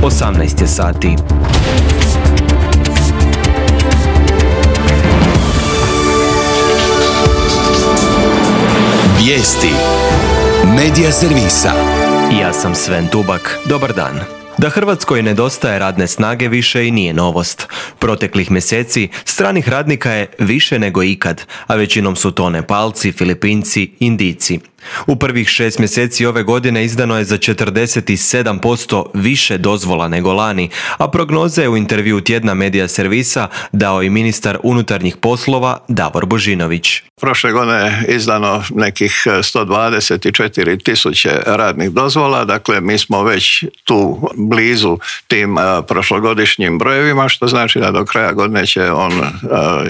18 je sati. Vijesti Medija servisa. Ja sam Sven Tubak. Dobar dan. Da Hrvatskoj nedostaje radne snage više i nije novost. Proteklih mjeseci stranih radnika je više nego ikad, a većinom su to Nepalci, Filipinci, Indijci. U prvih 6 mjeseci ove godine izdano je za 47% više dozvola nego lani, a prognoze je u intervjuu tjedna Medija servisa dao i ministar unutarnjih poslova Davor Božinović. Prošle godine je izdano nekih 124 tisuće radnih dozvola, dakle mi smo već tu blizu tim prošlogodišnjim brojevima, što znači da do kraja godine će on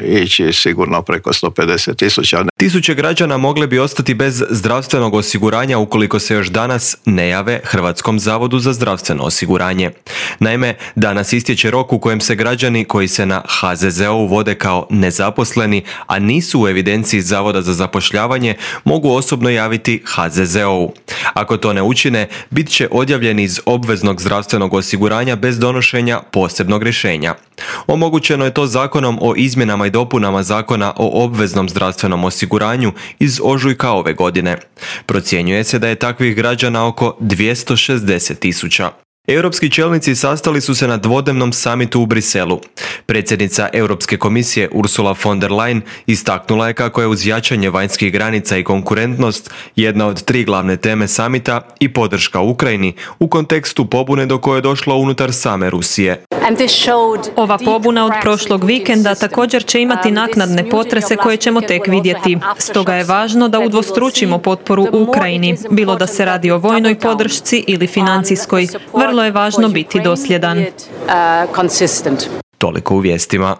ići sigurno preko 150 tisuća. Tisuće građana mogle bi ostati bez zdravstvenog osiguranja ukoliko se još danas ne jave Hrvatskom zavodu za zdravstveno osiguranje. Naime, danas istječe rok u kojem se građani koji se na HZZO vode kao nezaposleni, a nisu u evidenciji Zavoda za zapošljavanje, mogu osobno javiti HZZO-u. Ako to ne učine, bit će odjavljeni iz obveznog zdravstvenog osiguranja bez donošenja posebnog rješenja. Omogućeno je to Zakonom o izmjenama i dopunama Zakona o obveznom zdravstvenom osiguranju iz ožujka ove godine. Procjenjuje se da je takvih građana oko 260 tisuća. Europski čelnici sastali su se na dvodnevnom samitu u Briselu. Predsjednica Europske komisije Ursula von der Leyen istaknula je kako je uz jačanje vanjskih granica i konkurentnost jedna od 3 glavne teme samita i podrška Ukrajini u kontekstu pobune do koje je došlo unutar same Rusije. Ova pobuna od prošlog vikenda također će imati naknadne potrese koje ćemo tek vidjeti. Stoga je važno da udvostručimo potporu Ukrajini, bilo da se radi o vojnoj podršci ili financijskoj. Vrlo je važno biti dosljedan. Toliko u vijestima.